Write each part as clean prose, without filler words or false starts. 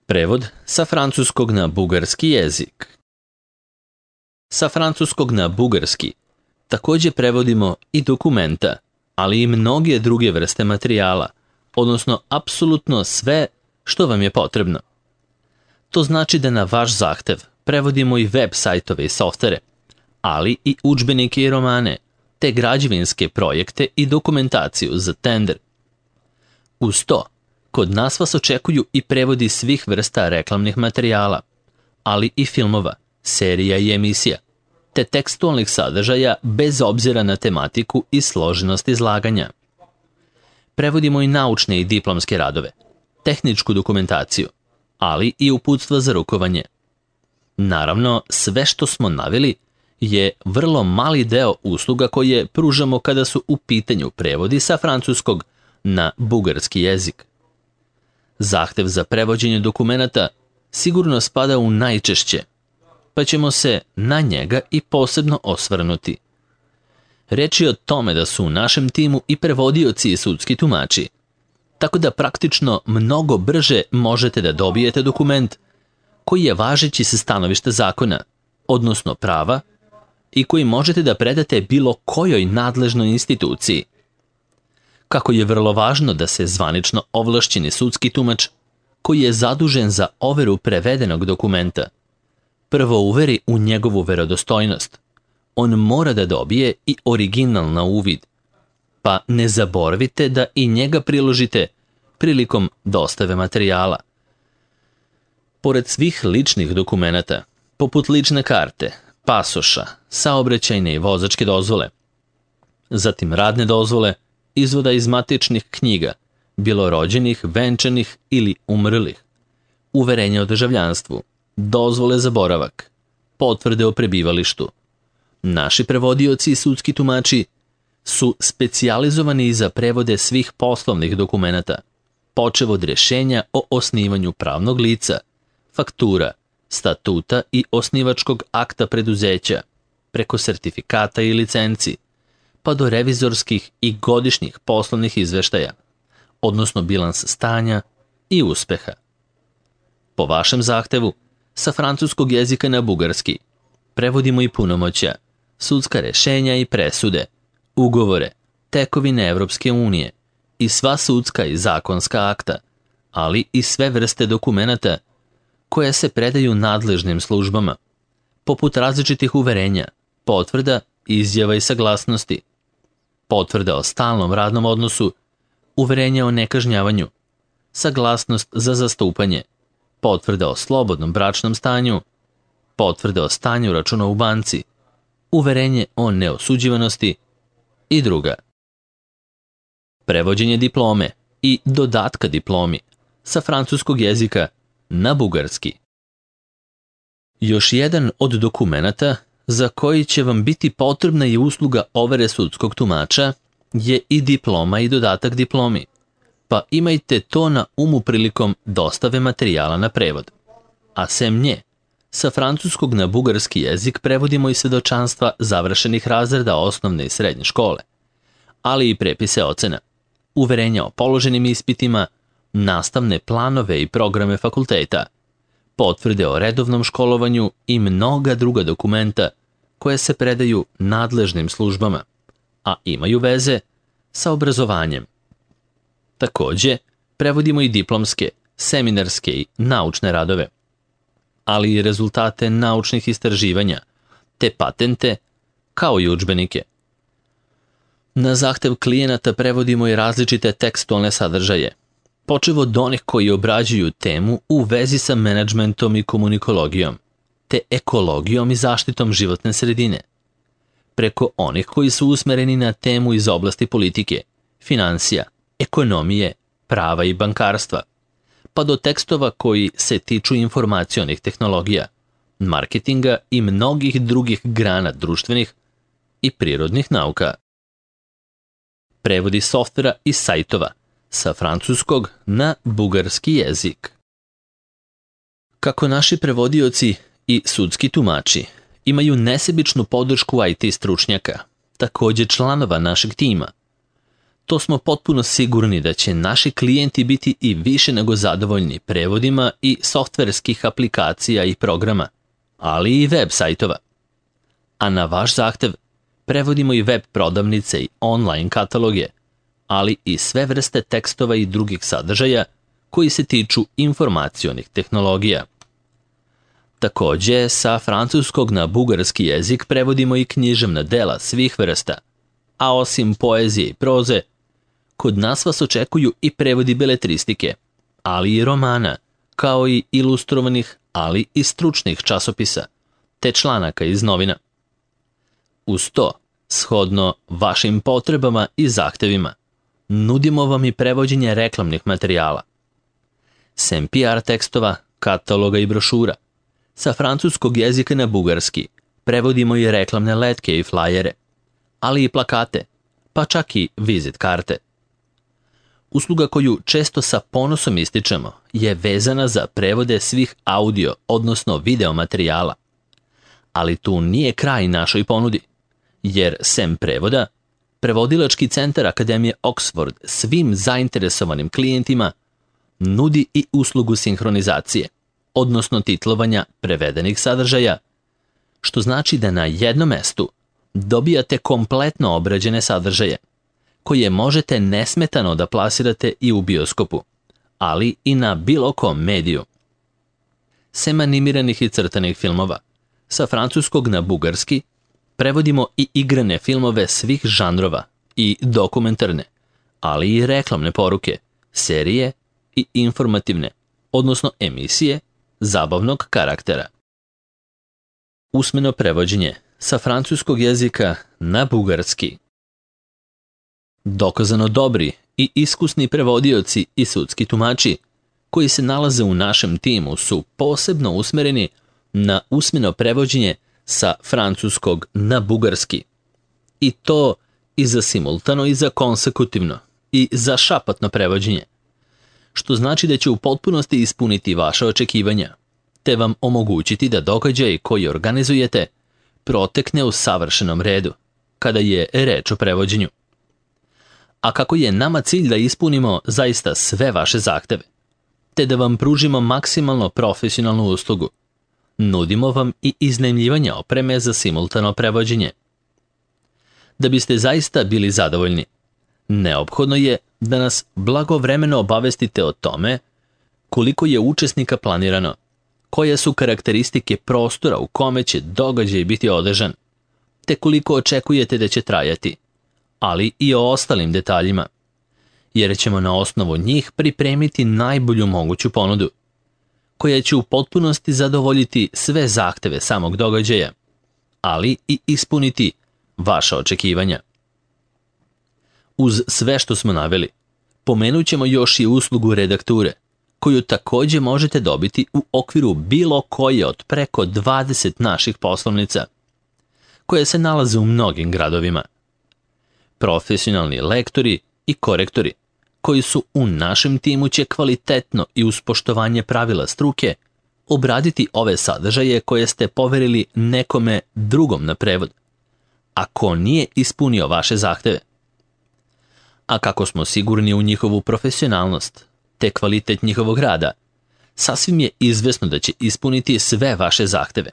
Prevod sa francuskog na bugarski jezik. Sa francuskog na bugarski također prevodimo i dokumenta, ali i mnoge druge vrste materijala, odnosno apsolutno sve što vam je potrebno. To znači da na vaš zahtev prevodimo i web sajtove i softvere, ali i udžbenike i romane, te građevinske projekte i dokumentaciju za tender. Uz to, kod nas vas očekuju i prevodi svih vrsta reklamnih materijala, ali i filmova, serija i emisija, te tekstualnih sadržaja bez obzira na tematiku i složenost izlaganja. Prevodimo i naučne i diplomske radove, tehničku dokumentaciju, ali i uputstva za rukovanje. Naravno, sve što smo naveli je vrlo mali deo usluga koje pružamo kada su u pitanju prevodi sa francuskog na bugarski jezik. Zahtev za prevođenje dokumenata sigurno spada u najčešće, pa ćemo se na njega i posebno osvrnuti. Reč je o tome da su u našem timu i prevodioci i sudski tumači, tako da praktično mnogo brže možete da dobijete dokument koji je važeći sa stanovišta zakona, odnosno prava, i koji možete da predate bilo kojoj nadležnoj instituciji. Kako je vrlo važno da se zvanično ovlašćeni sudski tumač, koji je zadužen za overu prevedenog dokumenta, prvo uveri u njegovu verodostojnost, on mora da dobije i original na uvid, pa ne zaboravite da i njega priložite prilikom dostave materijala. Pored svih ličnih dokumenata, poput lične karte, pasoša, saobraćajne i vozačke dozvole, zatim radne dozvole, izvoda iz matičnih knjiga, bilo rođenih, venčanih ili umrlih, uverenja o državljanstvu, dozvole za boravak, potvrde o prebivalištu. Naši prevodioci i sudski tumači su specijalizovani za prevode svih poslovnih dokumenata, počev od rješenja o osnivanju pravnog lica, faktura, statuta i osnivačkog akta preduzeća, preko sertifikata i licenci, pa do revizorskih i godišnjih poslovnih izveštaja, odnosno bilans stanja i uspeha. Po vašem zahtevu, sa francuskog jezika na bugarski, prevodimo i punomoćja, sudska rješenja i presude, ugovore, tekovine Evropske unije i sva sudska i zakonska akta, ali i sve vrste dokumenata koje se predaju nadležnim službama, poput različitih uverenja, potvrda, izjava i saglasnosti, potvrda o stalnom radnom odnosu, uverenja o nekažnjavanju, saglasnost za zastupanje, potvrda o slobodnom bračnom stanju, potvrda o stanju računa u banci, uverenje o neosuđivanosti i druga. Prevođenje diplome i dodatka diplomi sa francuskog jezika na bugarski. Još jedan od dokumenata za koji će vam biti potrebna i usluga overe sudskog tumača je i diploma i dodatak diplomi, pa imajte to na umu prilikom dostave materijala na prevod. A sem nje, sa francuskog na bugarski jezik prevodimo i svedočanstva završenih razreda osnovne i srednje škole, ali i prepise ocena, uverenja o položenim ispitima, nastavne planove i programe fakulteta, potvrde o redovnom školovanju i mnoga druga dokumenta koje se predaju nadležnim službama, a imaju veze sa obrazovanjem. Također, prevodimo i diplomske, seminarske i naučne radove, ali i rezultate naučnih istraživanja, te patente, kao i udžbenike. Na zahtev klijenata prevodimo i različite tekstualne sadržaje, počev od onih koji obrađuju temu u vezi sa menadžmentom i komunikologijom, te ekologijom i zaštitom životne sredine, preko onih koji su usmereni na temu iz oblasti politike, financija, ekonomije, prava i bankarstva, pa do tekstova koji se tiču informacionih tehnologija, marketinga i mnogih drugih grana društvenih i prirodnih nauka. Prevodi softvera i sajtova sa francuskog na bugarski jezik. Kako naši prevodioci i sudski tumači imaju nesebičnu podršku IT stručnjaka, također članova našeg tima, to smo potpuno sigurni da će naši klijenti biti i više nego zadovoljni prevodima i softverskih aplikacija i programa, ali i web sajtova. A na vaš zahtev prevodimo i web prodavnice i online kataloge, ali i sve vrste tekstova i drugih sadržaja koji se tiču informacionih tehnologija. Takođe, sa francuskog na bugarski jezik prevodimo i književna dela svih vrsta, a osim poezije i proze, kod nas vas očekuju i prevodi beletristike, ali i romana, kao i ilustrovanih, ali i stručnih časopisa, te članaka iz novina. Uz to, shodno vašim potrebama i zahtevima, nudimo vam i prevođenje reklamnih materijala. Sem PR tekstova, kataloga i brošura, sa francuskog jezika na bugarski prevodimo i reklamne letke i flajere, ali i plakate, pa čak i vizit karte. Usluga koju često sa ponosom ističemo je vezana za prevode svih audio, odnosno video materijala. Ali tu nije kraj našoj ponudi, jer sem prevoda, Prevodilački centar Akademije Oxford svim zainteresovanim klijentima nudi i uslugu sinhronizacije, odnosno titlovanja prevedenih sadržaja, što znači da na jednom mestu dobijate kompletno obrađene sadržaje, koje možete nesmetano da plasirate i u bioskopu, ali i na bilo kom mediju. Sem animiranih i crtanih filmova, sa francuskog na bugarski prevodimo i igrane filmove svih žanrova i dokumentarne, ali i reklamne poruke, serije i informativne, odnosno emisije zabavnog karaktera. Usmeno prevođenje sa francuskog jezika na bugarski. Dokazano dobri i iskusni prevodioci i sudski tumači koji se nalaze u našem timu su posebno usmereni na usmeno prevođenje sa francuskog na bugarski. I to i za simultano i za konsekutivno i za šapatno prevođenje, što znači da će u potpunosti ispuniti vaša očekivanja, te vam omogućiti da događaj koji organizujete protekne u savršenom redu, kada je reč o prevođenju. A kako je nama cilj da ispunimo zaista sve vaše zahteve, te da vam pružimo maksimalno profesionalnu uslugu, nudimo vam i iznajmljivanje opreme za simultano prevođenje. Da biste zaista bili zadovoljni, neophodno je da nas blagovremeno obavestite o tome koliko je učesnika planirano, koje su karakteristike prostora u kome će događaj biti održan, te koliko očekujete da će trajati, ali i o ostalim detaljima, jer ćemo na osnovu njih pripremiti najbolju moguću ponudu, koja će u potpunosti zadovoljiti sve zahteve samog događaja, ali i ispuniti vaša očekivanja. Uz sve što smo naveli, pomenut ćemo još i uslugu redakture, koju takođe možete dobiti u okviru bilo koje od preko 20 naših poslovnica, koje se nalaze u mnogim gradovima. Profesionalni lektori i korektori, koji su u našem timu će kvalitetno i uz poštovanje pravila struke obraditi ove sadržaje koje ste poverili nekome drugom na prevod, ako nije ispunio vaše zahteve. A kako smo sigurni u njihovu profesionalnost te kvalitet njihovog rada, sasvim je izvesno da će ispuniti sve vaše zahteve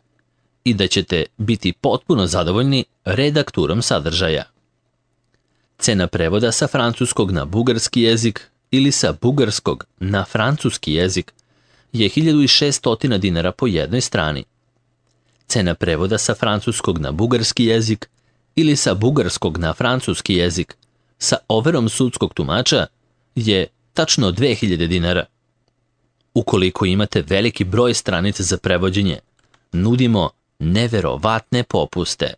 i da ćete biti potpuno zadovoljni redakturom sadržaja. Cena prevoda sa francuskog na bugarski jezik ili sa bugarskog na francuski jezik je 1600 dinara po jednoj strani. Cena prevoda sa francuskog na bugarski jezik ili sa bugarskog na francuski jezik sa overom sudskog tumača je tačno 2000 dinara. Ukoliko imate veliki broj stranica za prevođenje, nudimo neverovatne popuste.